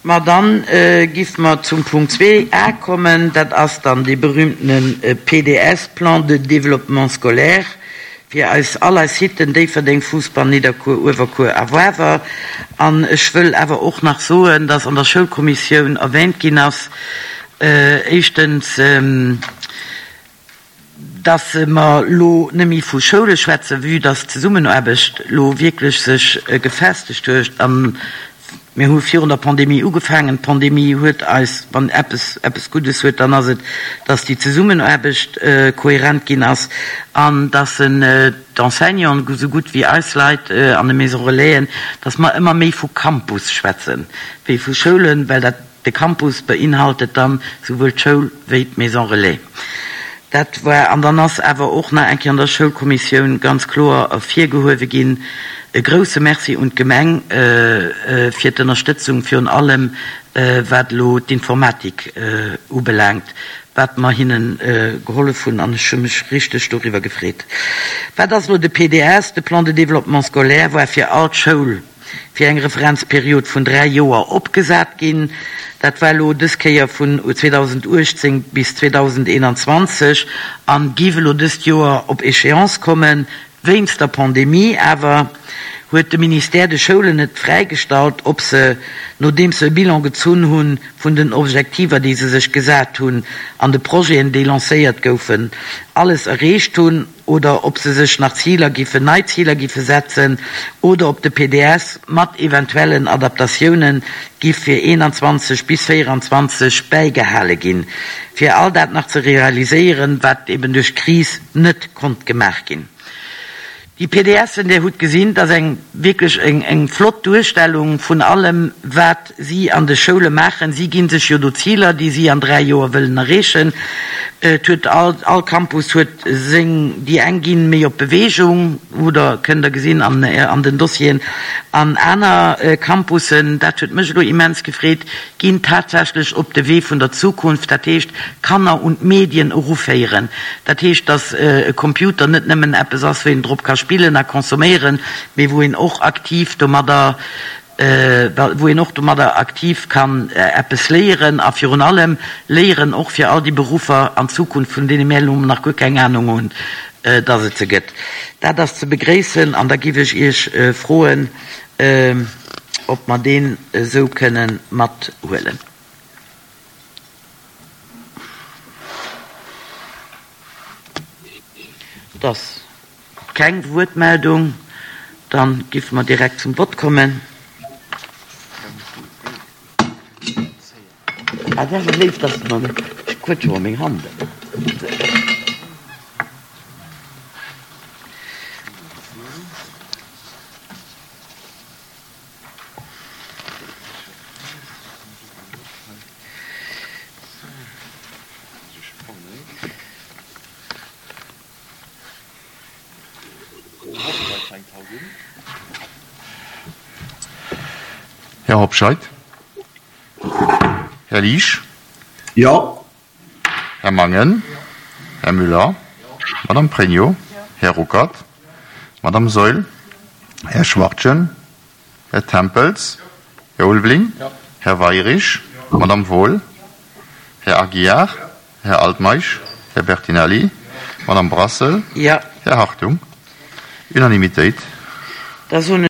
Ma dann giff mer zum Punkt 2a kommen, dat ass dann dee berühmtene PDS, Plan de développement scolaire, fir eis all eis Siten, Déifferdeng, Fousbann, Nidderkuer, Uewerkuer a Wawer. An ech wëll awer och nach soen, dass an der Schoulkommissioun erwähnt ginn ass, éischtens, dass mer elo net méi vu Schoule schwätzen, vue dass d'Zesummenaarbecht elo wierklech sech gefestegt huet. A mir hu virun der Pandemie ugefaangen. D'Pandemie huet eis, wann eppes eppes Guddes huet, dann ass et, dass déi Zesummenaarbecht kohärent ginn ass an dass d'Enseignanten esou gutt wéi eis Leit an de Maisons Relaisen, dass mer ëmmer méi vu Campus schwätzen wéi vu Schoulen, well dat De Campus beinhaltet dann souwuel d'Schoul wéi d'Maison Relais. Dat war, an dann ass awer och nach eng Kéier an der Schoulkommissioun ganz kloer ervirgehuewe ginn, e grouse Merci un d'Gemeng fir d'Ënnerstëtzung, virun allem wat elo d'Informatik ubelaangt, wat mer hinne gehollef hunn, an ech hu mech richteg doriwwer gefreet. Wat ass elo de PDS? De Plan de développement scolaire war fir all d'Schoul fir eng Referenzperiod vun 3 Joer opgesat ginn. Dat war elo dës Kéier vun 2018 bis 2021 an giff elo dëst Joer op Échéance kommen. Wéinst der Pandemie awer huet de Ministère de Schoulen et fräigestallt, ob se, nodeems se e Bilan gezunn hunn vun den Objektiver, déi se sech gesat hunn an de Projeten, déi lancéiert goufen, alles erreecht hunn. oder ob se sech nach Ziler giffen, nei Ziler giffe setzen, oder ob de PDS mat eventuellen Adaptatiounen giff fir 21 bis 24 bäigehale ginn, fir all dat nach ze realiséieren, wat eben duerch d'Kris net konnt gemaach ginn. Déi PDSen, Dir hutt gesinn, dat ass eng wierklech eng flott Duerstellung vun allem, wat si an de Schoule maachen. Si gi sech jo do Ziler, déi si an 3 Joer wëllen erreechen. Et huet all, all Campus huet seng, déi eng ginn méi op Beweegung, hutt Der, kënnt Der gesinn an, an den Dossieren, an aner Campussen, dat huet mech elo immens gefreet, ginn tatsächlech op de Wee vun der Zukunft, dat heescht d'Kanner un d'Medien eruféieren. Dat heescht, datt e Computer net nëmmen eppes ass, wou een drop ka spillen a consomméieren, mee wou een och aktiv domadder, wou een och domadder aktiv kann eppes léieren a virun allem léieren och fir all déi Beruffer an Zukunft, vun deene mir elo nach guer keng Anung hunn, datt et se gëtt. Dat ass ze begréissen an da giff ech Iech froen, ob mer deen esou kënnen mathuelen. Et ass keng Wuertmeldung, da giffe mer direkt zum Vott kommen. Ah, dat ass awer léif, dass de mer, ech quëtsche mer meng Hand ëmmer. Här Hobscheit? Här Liesch? Jo. Här Mangen? Här Müller? Madame Pregno? Här Ruckert? Madame Saeul? Här Schwachtgen? Här Tempels? Här Ulveling? Här Weirich? Madame Wohl? Här Aguiar? Här Altmeisch? Här Bertinelli? Madame Brassel? Jo. Här Hartung? Unanimitéit. Da soen.